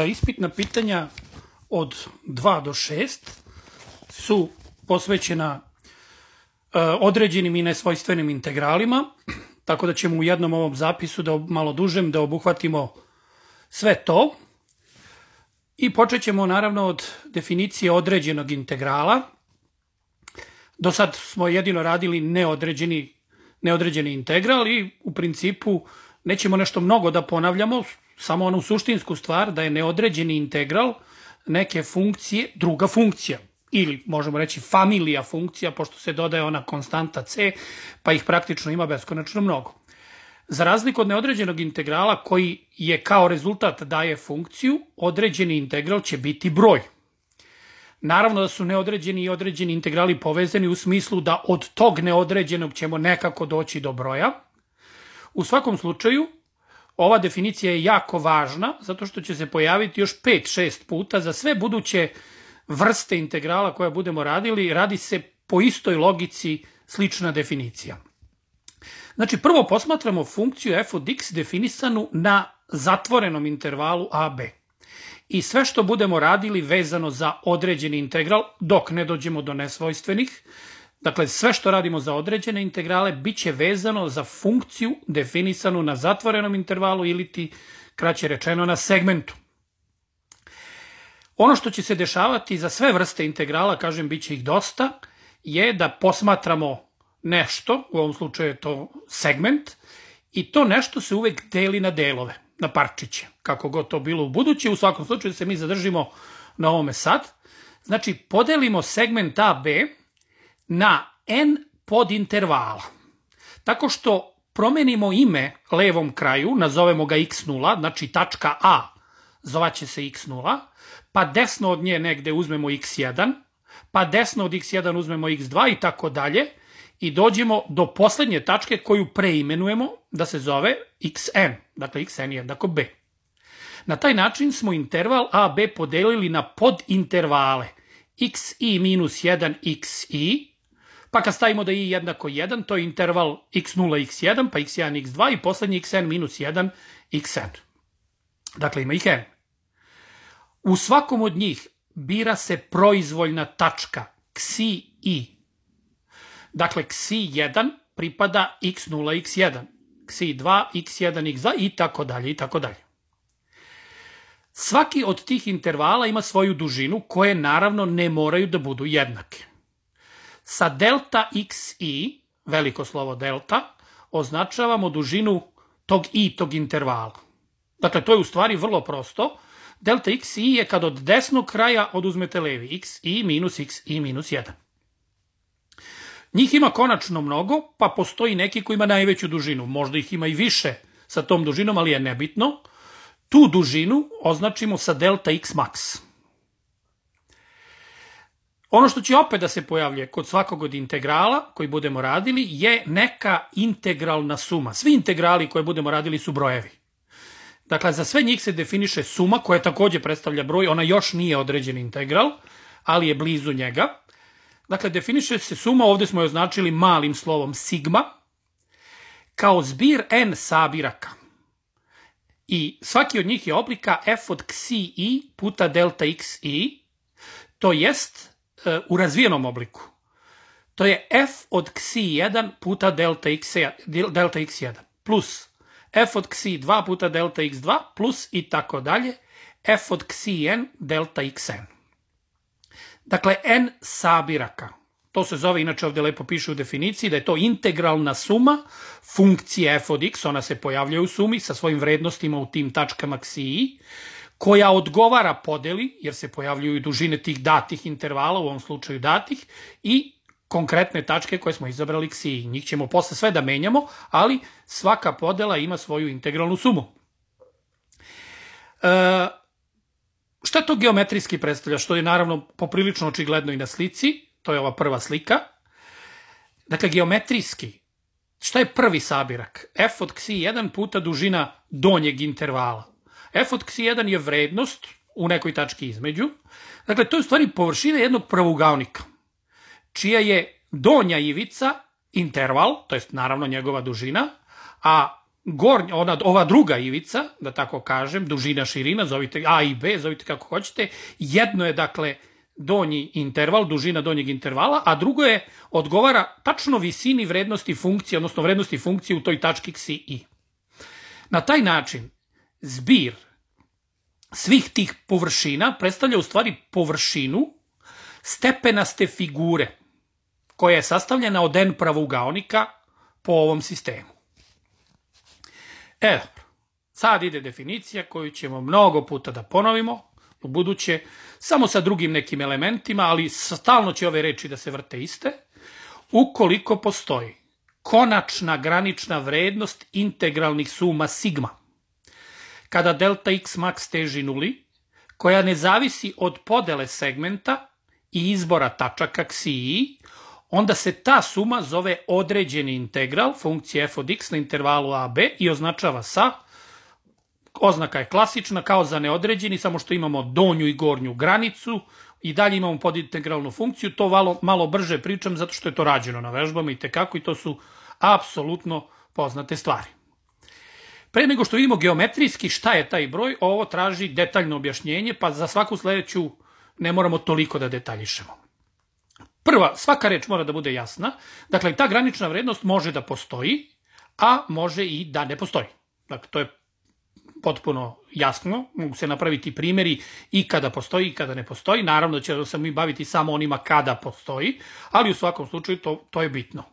Ispitna pitanja od 2 do 6 su posvećena određenim i nesvojstvenim integralima, tako da ćemo u jednom ovom zapisu, malo dužem, da obuhvatimo sve to. I počet ćemo naravno od definicije određenog integrala. Do sad smo jedino radili neodređeni integral i u principu nećemo nešto mnogo da ponavljamo, samo onu suštinsku stvar da je neodređeni integral neke funkcije druga funkcija. Ili možemo reći familija funkcija, pošto se dodaje ona konstanta c, pa ih praktično ima beskonačno mnogo. Za razliku od neodređenog integrala koji je kao rezultat daje funkciju, određeni integral će biti broj. Naravno da su neodređeni i određeni integrali povezani u smislu da od tog neodređenog ćemo nekako doći do broja. U svakom slučaju, ova definicija je jako važna, zato što će se pojaviti još 5-6 puta za sve buduće vrste integrala koje budemo radili. Radi se po istoj logici slična definicija. Znači, prvo posmatramo funkciju f od x definisanu na zatvorenom intervalu ab. I sve što budemo radili vezano za određeni integral, dok ne dođemo do nesvojstvenih, dakle sve što radimo za određene integrale, bit će vezano za funkciju definisanu na zatvorenom intervalu ili ti, kraće rečeno, na segmentu. Ono što će se dešavati za sve vrste integrala, kažem, bit će ih dosta, je da posmatramo nešto, u ovom slučaju je to segment, i to nešto se uvek deli na delove, na parčiće, kako god to bilo u buduće. U svakom slučaju se mi zadržimo na ovome sad. Znači, podelimo segment AB na n podintervala, tako što promenimo ime levom kraju, nazovemo ga x0, znači tačka A zvaće se x0, pa desno od nje negde uzmemo x1, pa desno od x1 uzmemo x2 i tako dalje, i dođemo do poslednje tačke koju preimenujemo da se zove xn, dakle xn je jednako b. Na taj način smo interval AB podelili na podintervale xi minus 1 xi, pa kad stavimo da i jednako 1, to je interval x0 x1, pa x1 x2 i poslednji xn minus 1 xn. Dakle, ima ih n. U svakom od njih bira se proizvoljna tačka xi i. Dakle, xi1 pripada x0 x1, xi2 x1 x2 i tako dalje i tako dalje. Svaki od tih intervala ima svoju dužinu koje naravno ne moraju da budu jednake. Sa delta xi, veliko slovo delta, označavamo dužinu tog intervala. Dakle, to je u stvari vrlo prosto. Delta xi je kad od desnog kraja oduzmete levi, xi minus 1. Njih ima konačno mnogo, pa postoji neki koji ima najveću dužinu. Možda ih ima i više sa tom dužinom, ali je nebitno. Tu dužinu označimo sa delta x max. Ono što će opet da se pojavlja kod svakog od integrala koji budemo radili je neka integralna suma. Svi integrali koje budemo radili su brojevi. Dakle, za sve njih se definiše suma koja takođe predstavlja broj. Ona još nije određen integral, ali je blizu njega. Dakle, definiše se suma, ovde smo je označili malim slovom sigma, kao zbir n sabiraka. I svaki od njih je oblika f od xi i puta delta xi, to jest u razvijenom obliku. To je f od xi1 puta delta x1, plus f od xi2 puta delta x2, plus i tako dalje, f od xn delta xn. Dakle, n sabiraka. To se zove, inače ovde lepo piše u definiciji, da je to integralna suma funkcije f od x, ona se pojavlja u sumi sa svojim vrednostima u tim tačkama xi, koja odgovara podeli, jer se pojavljuju dužine tih datih intervala, u ovom slučaju datih, i konkretne tačke koje smo izabrali xi. Njih ćemo posle sve da menjamo, ali svaka podela ima svoju integralnu sumu. Šta to geometrijski predstavlja? Što je naravno poprilično očigledno i na slici. To je ova prva slika. Dakle, geometrijski, šta je prvi sabirak? F od xi1 puta dužina donjeg intervala. F od xi1 je vrednost u nekoj tački između. Dakle, to je u stvari površina jednog pravougaonika, čija je donja ivica interval, to je naravno njegova dužina, a ova druga ivica, da tako kažem, dužina, širina, zovite A i B, zovite kako hoćete, jedno je, dakle, donji interval, dužina donjeg intervala, a drugo je odgovara tačno visini vrednosti funkcije, odnosno vrednosti funkcije u toj tački xi i. Na taj način zbir svih tih površina predstavlja u stvari površinu stepenaste figure koja je sastavljena od n pravougaonika po ovom sistemu. Dobro, sad ide definicija koju ćemo mnogo puta da ponovimo u buduće, samo sa drugim nekim elementima, ali stalno će ove reči da se vrte iste. Ukoliko postoji konačna granična vrednost integralnih suma sigma, kada delta x max teži nuli, koja ne zavisi od podele segmenta i izbora tačaka xi i, onda se ta suma zove određeni integral funkcije f od x na intervalu a, b i označava sa, oznaka je klasična, kao za neodređeni, samo što imamo donju i gornju granicu i dalje imamo podintegralnu funkciju. To malo brže pričam zato što je to rađeno na vežbama i tekako i to su apsolutno poznate stvari. Pre nego što vidimo geometrijski šta je taj broj, ovo traži detaljno objašnjenje, pa za svaku sledeću ne moramo toliko da detaljišemo. Svaka reč mora da bude jasna, dakle ta granična vrednost može da postoji, a može i da ne postoji. Dakle, to je potpuno jasno, mogu se napraviti primjeri i kada postoji i kada ne postoji, naravno da će se mi baviti samo onima kada postoji, ali u svakom slučaju to je bitno.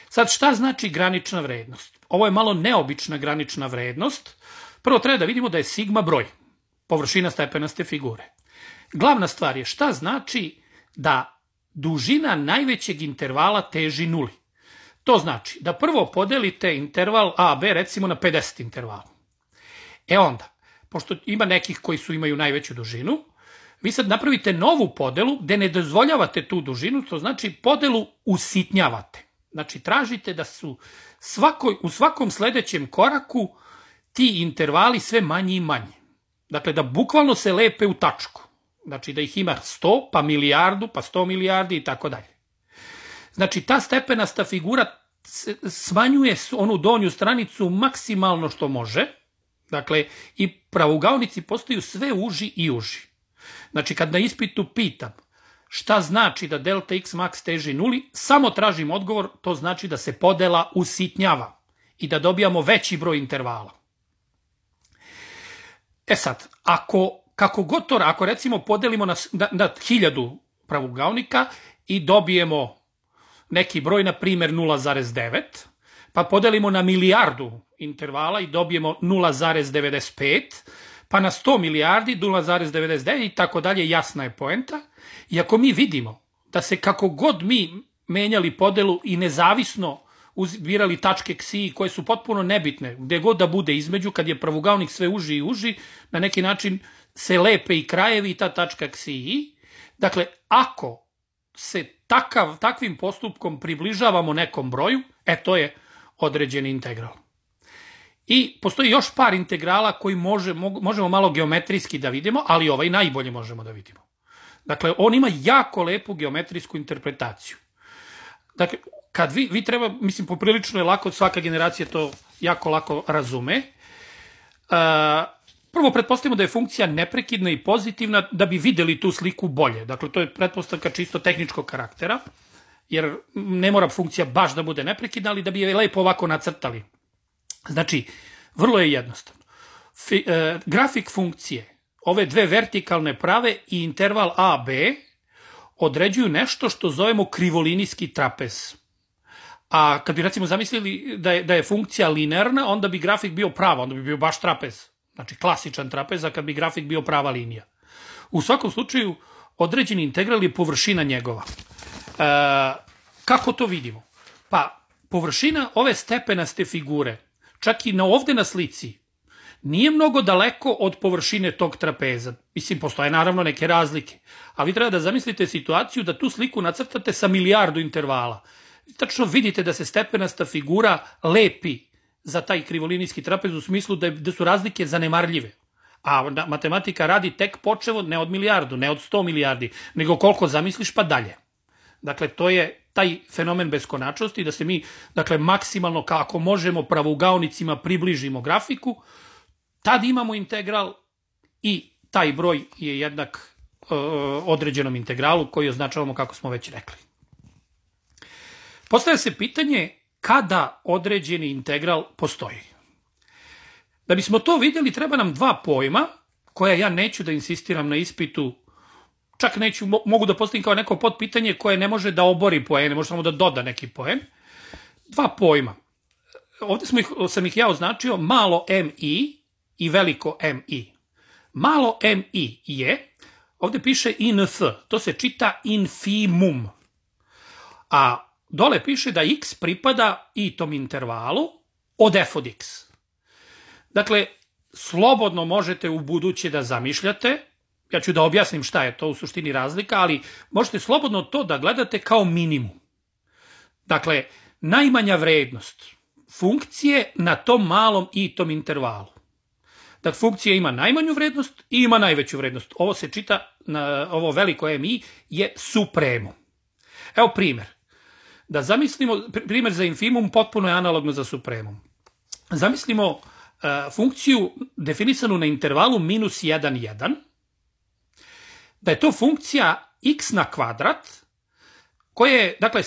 Sad, šta znači granična vrednost? Ovo je malo neobična granična vrednost. Prvo treba da vidimo da je sigma broj, površina stepenaste figure. Glavna stvar je šta znači da dužina najvećeg intervala teži nuli. To znači da prvo podelite interval a, b recimo na 50 intervala. Onda, pošto ima nekih koji imaju najveću dužinu, vi sad napravite novu podelu gde ne dozvoljavate tu dužinu, to znači podelu usitnjavate. Znači, tražite da su u svakom sledećem koraku ti intervali sve manji i manji. Dakle, da bukvalno se lepe u tačku. Znači, da ih ima 100, pa milijardu, pa 100 milijardi i tako dalje. Znači, ta stepenasta figura smanjuje onu donju stranicu maksimalno što može. Dakle, i pravougaonici postaju sve uži i uži. Znači, kad na ispitu pitam šta znači da delta x max teži nuli, samo tražim odgovor, to znači da se podela usitnjava i da dobijamo veći broj intervala. Sad, ako recimo podelimo na 1000 pravougaonika i dobijemo neki broj, na primjer 0,9, pa podelimo na milijardu intervala i dobijemo 0,95, pa na 100 milijardi 0,99 i tako dalje, jasna je poenta. I ako mi vidimo da se kako god mi menjali podelu i nezavisno birali tačke xi koje su potpuno nebitne, gde god da bude između, kad je pravougaonik sve uži i uži, na neki način se lepe i krajevi i ta tačka xi i. Dakle, ako se takvim postupkom približavamo nekom broju, to je određeni integral. I postoji još par integrala koji možemo malo geometrijski da vidimo, ali ovaj najbolje možemo da vidimo. Dakle, on ima jako lepu geometrijsku interpretaciju. Dakle, kad vi treba, mislim, poprilično je lako, svaka generacija to jako lako razume. Prvo, pretpostavimo da je funkcija neprekidna i pozitivna da bi videli tu sliku bolje. Dakle, to je pretpostavka čisto tehničkog karaktera, jer ne mora funkcija baš da bude neprekidna, ali da bi je lepo ovako nacrtali. Znači, vrlo je jednostavno. Grafik funkcije, ove dve vertikalne prave i interval a, b, određuju nešto što zovemo krivolinijski trapez. A kad bi recimo zamislili da je funkcija linearna, onda bi grafik bio prava, onda bi bio baš trapez. Znači, klasičan trapez, a kad bi grafik bio prava linija. U svakom slučaju, određeni integral je površina njegova. Kako to vidimo? Pa, površina ove stepenaste figure, čak i ovde na slici, nije mnogo daleko od površine tog trapeza. Mislim, postoje naravno neke razlike. A vi treba da zamislite situaciju da tu sliku nacrtate sa milijardu intervala. Tačno vidite da se stepenasta figura lepi za taj krivolinijski trapez u smislu da su razlike zanemarljive. A matematika radi tek počevo ne od milijardu, ne od 100 milijardi, nego koliko zamisliš pa dalje. Dakle, to je taj fenomen beskonačnosti, da se mi, dakle, maksimalno kako možemo pravougaonicima približimo grafiku, tad imamo integral i taj broj je jednak određenom integralu koji označavamo kako smo već rekli. Postavlja se pitanje kada određeni integral postoji. Da bismo to vidjeli, treba nam dva pojma, koja ja neću da insistiram na ispitu, čak neću, mogu da postavim kao neko podpitanje koje ne može da obori poene, može samo da doda neki poen. Dva pojma. Ovdje sam ih ja označio malo mi i veliko mi. Malo mi je, ovdje piše inf, to se čita infimum. A dole piše da x pripada i tom intervalu od f od x. Dakle, slobodno možete u buduće da zamišljate, ja ću da objasnim šta je to u suštini razlika, ali možete slobodno to da gledate kao minimum. Dakle, najmanja vrednost funkcije na tom malom i tom intervalu. Dakle, funkcija ima najmanju vrednost i ima najveću vrednost. Ovo se čita, ovo veliko mi je supremum. Evo primjer. Da zamislimo, primjer za infimum potpuno je analogno za supremum. Zamislimo funkciju definisanu na intervalu minus 1, 1, da je to funkcija x na kvadrat, koja je, dakle,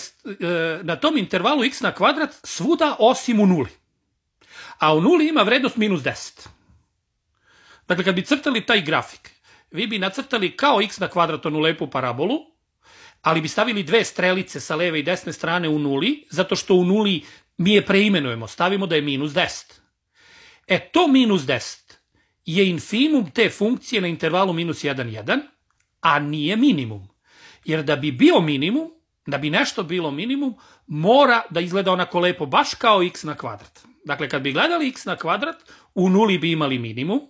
na tom intervalu x na kvadrat svuda osim u nuli. A u nuli ima vrednost minus 10. Dakle, kad bi crtali taj grafik, vi bi nacrtali kao x na kvadrat onu lepu parabolu, ali bi stavili dve strelice sa leve i desne strane u nuli, zato što u nuli mi je preimenujemo, stavimo da je minus 10. To minus 10 je infimum te funkcije na intervalu minus 1, 1, a nije minimum. Jer da bi bio minimum, da bi nešto bilo minimum, mora da izgleda onako lepo, baš kao x na kvadrat. Dakle, kad bi gledali x na kvadrat, u nuli bi imali minimum,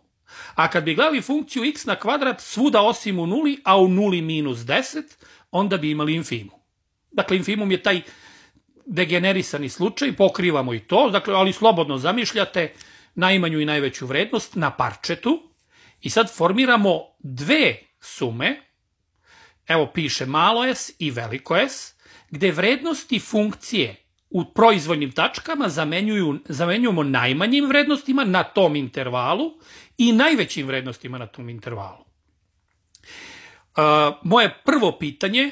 a kad bi gledali funkciju x na kvadrat svuda osim u nuli, a u nuli minus 10, onda bi imali infimum. Dakle, infimum je taj degenerisani slučaj, pokrivamo i to, dakle, ali slobodno zamišljate najmanju i najveću vrednost na parčetu i sad formiramo dve sume, evo piše malo s i veliko S, gde vrednosti funkcije u proizvoljnim tačkama zamenjujemo najmanjim vrednostima na tom intervalu i najvećim vrednostima na tom intervalu. Moje prvo pitanje,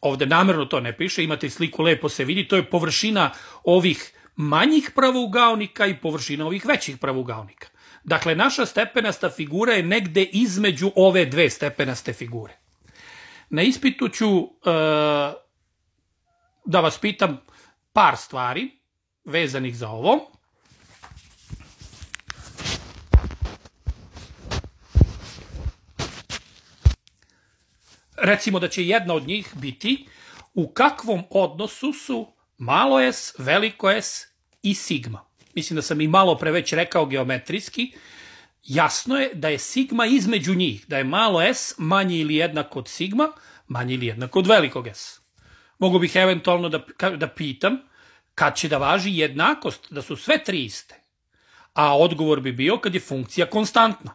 ovde namerno to ne piše, imate sliku, lepo se vidi, to je površina ovih manjih pravougaonika i površina ovih većih pravougaonika. Dakle, naša stepenasta figura je negde između ove dve stepenaste figure. Na ispitu ću da vas pitam par stvari vezanih za ovo. Recimo da će jedna od njih biti u kakvom odnosu su malo s, veliko S i sigma. Mislim da sam i malo pre već rekao geometrijski. Jasno je da je sigma između njih, da je malo s manje ili jednak od sigma, manje ili jednak od velikog S. Mogu bih eventualno da pitam kad će da važi jednakost, da su sve tri iste. A odgovor bi bio kad je funkcija konstantna.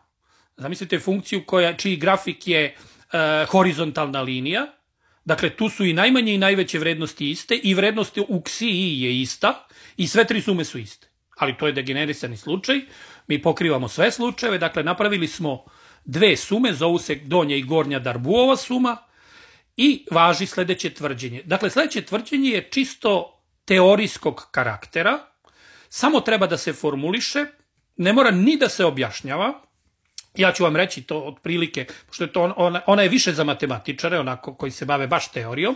Zamislite funkciju čiji grafik je horizontalna linija, dakle tu su i najmanje i najveće vrednosti iste i vrednost u ksiji je ista i sve tri sume su iste. Ali to je degenerisani slučaj, mi pokrivamo sve slučajeve, dakle napravili smo dve sume, zovu se donja i gornja Darbouvova suma i važi sledeće tvrđenje. Dakle, sledeće tvrđenje je čisto teorijskog karaktera, samo treba da se formuliše, ne mora ni da se objašnjava. Ja ću vam reći to otprilike, pošto je to, ona je više za matematičare, onako koji se bave baš teorijom,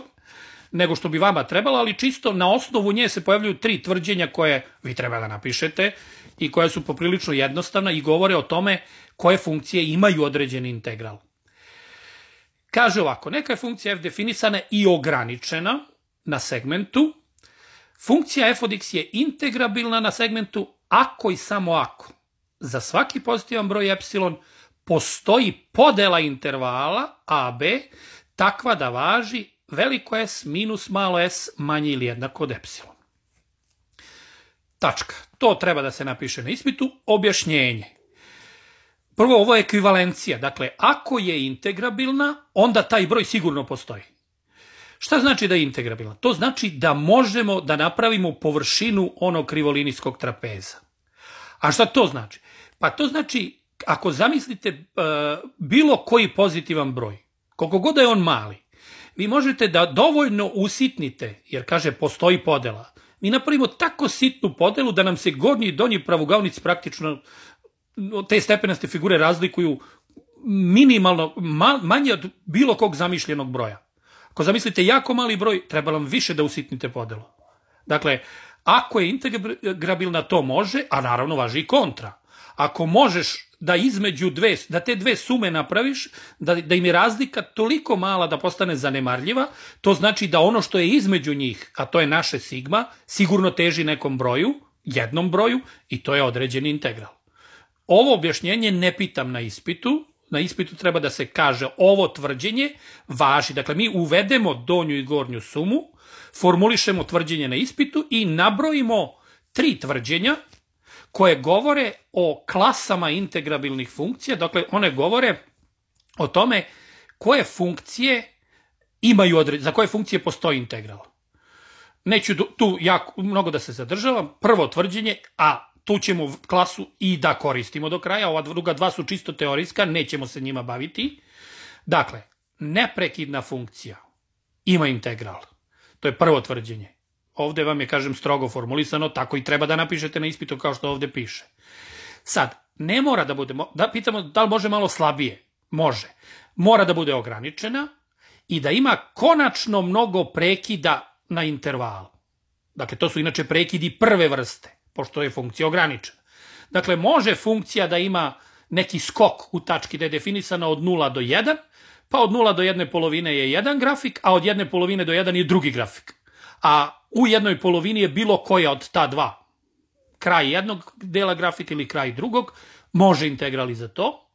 nego što bi vama trebalo, ali čisto na osnovu nje se pojavljuju tri tvrđenja koje vi treba da napišete i koja su poprilično jednostavna i govore o tome koje funkcije imaju određeni integral. Kaže ovako, neka je funkcija f definisana i ograničena na segmentu. Funkcija f od x je integrabilna na segmentu ako i samo ako za svaki pozitivan broj epsilon postoji podela intervala AB takva da važi veliko S minus malo s manje ili jednako od epsilon. Tačka. To treba da se napiše na ispitu. Objašnjenje. Prvo, ovo je ekvivalencija. Dakle, ako je integrabilna, onda taj broj sigurno postoji. Šta znači da je integrabilna? To znači da možemo da napravimo površinu onog krivolinijskog trapeza. A šta to znači? Pa to znači, ako zamislite bilo koji pozitivan broj, koliko god da je on mali, vi možete da dovoljno usitnite, jer kaže postoji podela. Mi napravimo tako sitnu podelu da nam se gornji i donji pravougaonici praktično te stepenaste figure razlikuju minimalno, manje od bilo kog zamišljenog broja. Ako zamislite jako mali broj, treba vam više da usitnite podelu. Dakle, ako je integrabilna, to može, a naravno važi i kontra. Ako možeš da između da te dve sume napraviš, da im je razlika toliko mala da postane zanemarljiva, to znači da ono što je između njih, a to je naše sigma, sigurno teži nekom broju, jednom broju, i to je određeni integral. Ovo objašnjenje ne pitam na ispitu. Na ispitu treba da se kaže ovo tvrđenje važi. Dakle, mi uvedemo donju i gornju sumu, formulišemo tvrđenje na ispitu i nabrojimo 3 tvrđenja koje govore o klasama integrabilnih funkcija. Dakle, one govore o tome koje funkcije imaju, za koje funkcije postoji integral. Neću tu jako mnogo da se zadržavam. Prvo tvrđenje, a tu ćemo klasu i da koristimo do kraja, ova druga dva su čisto teorijska, nećemo se njima baviti. Dakle, neprekidna funkcija ima integral. To je prvo tvrđenje. Ovde vam je, kažem, strogo formulisano, tako i treba da napišete na ispitu kao što ovde piše. Sad, ne mora da bude, da pitamo da li može malo slabije. Može. Mora da bude ograničena i da ima konačno mnogo prekida na intervalu. Dakle, to su inače prekidi prve vrste, pošto je funkcija ograničena. Dakle, može funkcija da ima neki skok u tački da je definisana od 0 do 1, pa od 0 do 1 polovine je jedan grafik, a od 1 polovine do 1 je drugi grafik. A u jednoj polovini je bilo koja od ta dva. Kraj jednog dela grafika ili kraj drugog, može integral i za to.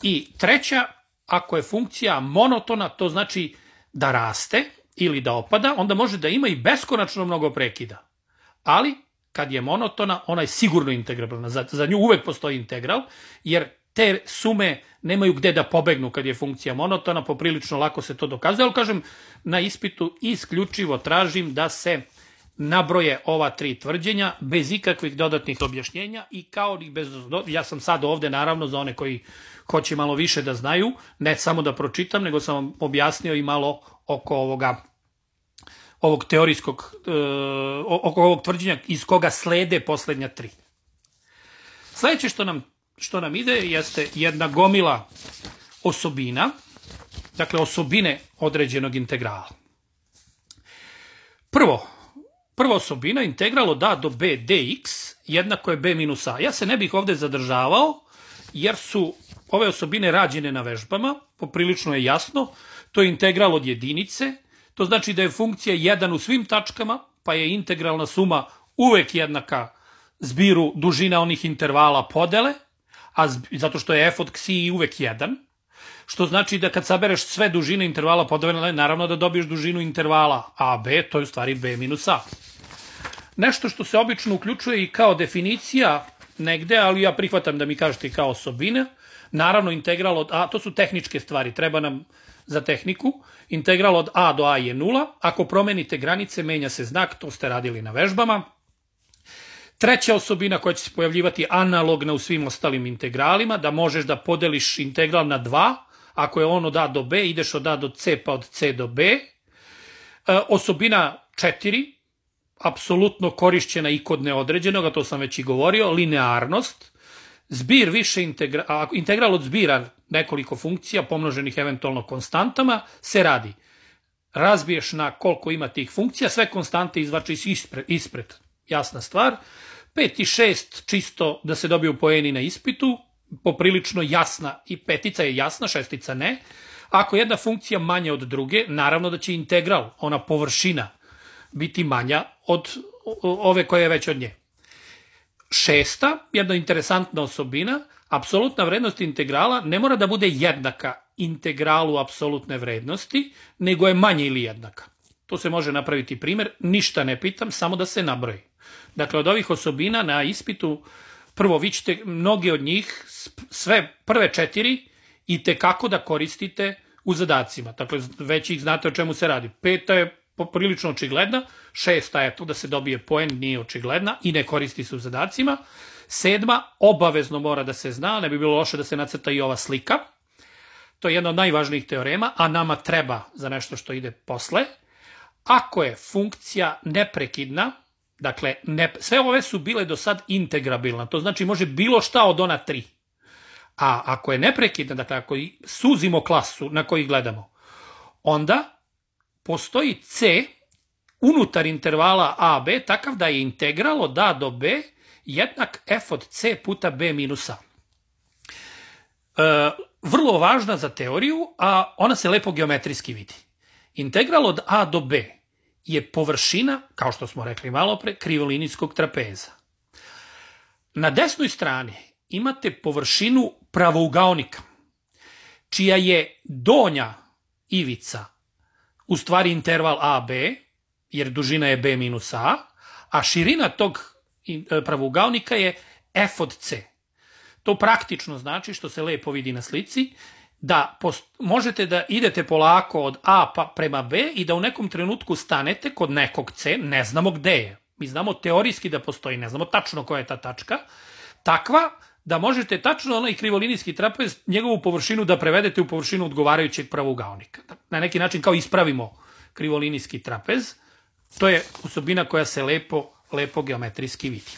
I treća, ako je funkcija monotona, to znači da raste ili da opada, onda može da ima i beskonačno mnogo prekida. Ali, kad je monotona, ona je sigurno integrabilna. Za nju uvek postoji integral, jer te sume nemaju gde da pobegnu kad je funkcija monotona, poprilično lako se to dokazuje, ali kažem, na ispitu isključivo tražim da se nabroje ova 3 tvrđenja bez ikakvih dodatnih objašnjenja i kao ni bez, ja sam sad ovde naravno za one koji hoće malo više da znaju, ne samo da pročitam, nego sam vam objasnio i malo oko ovog teorijskog, oko ovog tvrđenja iz koga slede poslednja 3. Sledeće što nam ide jeste jedna gomila osobina, dakle osobine određenog integrala. Prva osobina, integral od a do b dx jednako je b minus a. Ja se ne bih ovde zadržavao, jer su ove osobine rađene na vežbama, poprilično je jasno, to je integral od jedinice, to znači da je funkcija 1 u svim tačkama, pa je integralna suma uvek jednaka zbiru dužina onih intervala podele, zato što je f od ksi uvek 1, što znači da kad sabereš sve dužine intervala podele, naravno da dobiješ dužinu intervala a, b, to je u stvari b minus a. Nešto što se obično uključuje i kao definicija negde, ali ja prihvatam da mi kažete i kao osobine, naravno integral od a, to su tehničke stvari, treba nam za tehniku, integral od a do a je 0, ako promenite granice, menja se znak, to ste radili na vežbama. Treća osobina koja će se pojavljivati analogna u svim ostalim integralima, da možeš da podeliš integral na 2, ako je on od a do b, ideš od a do c pa od c do b. Osobina 4, apsolutno korišćena i kod neodređenog, a to sam već i govorio, linearnost. Zbir više integral od zbira nekoliko funkcija, pomnoženih eventualno konstantama, se radi. Razbiješ na koliko ima tih funkcija, sve konstante izvačiš ispred. Jasna stvar. 5 i 6 čisto da se dobiju poeni na ispitu, poprilično jasna, i petica je jasna, šestica ne. Ako je jedna funkcija manja od druge, naravno da će integral, ona površina, biti manja od ove koja je već od nje. 6. jedna interesantna osobina, apsolutna vrednost integrala ne mora da bude jednaka integralu apsolutne vrednosti, nego je manje ili jednaka. To se može napraviti primjer, ništa ne pitam, samo da se nabroji. Dakle, od ovih osobina na ispitu, prvo vi ćete mnogi od njih, sve prve 4, i tekako da koristite u zadacima. Dakle, već ih znate o čemu se radi. 5. je poprilično očigledna, 6. je to da se dobije poen, nije očigledna i ne koristi se u zadacima. 7. obavezno mora da se zna, ne bi bilo loše da se nacrta i ova slika. To je jedna od najvažnijih teorema, a nama treba za nešto što ide posle. Ako je funkcija neprekidna, dakle, sve ove su bile do sad integrabilna, to znači može bilo šta od ona 3. A ako je neprekidna, dakle, ako suzimo klasu na koji gledamo, onda postoji c unutar intervala a, b, takav da je integral od a do b jednak f od c puta b minus a. Vrlo važna za teoriju, a ona se lepo geometrijski vidi. Integral od a do b je površina, kao što smo rekli malo pre, krivolinijskog trapeza. Na desnoj strani imate površinu pravougaonika, čija je donja ivica u stvari interval AB, jer dužina je B minus a širina tog pravougaonika je F od C. To praktično znači, što se lepo vidi na slici, da možete da idete polako od A pa prema B i da u nekom trenutku stanete kod nekog C, ne znamo gde je. Mi znamo teorijski da postoji, ne znamo tačno koja je ta tačka, takva da možete tačno onaj krivolinijski trapez, njegovu površinu da prevedete u površinu odgovarajućeg pravougaonika. Na neki način kao ispravimo krivolinijski trapez, to je osobina koja se lepo geometrijski vidi.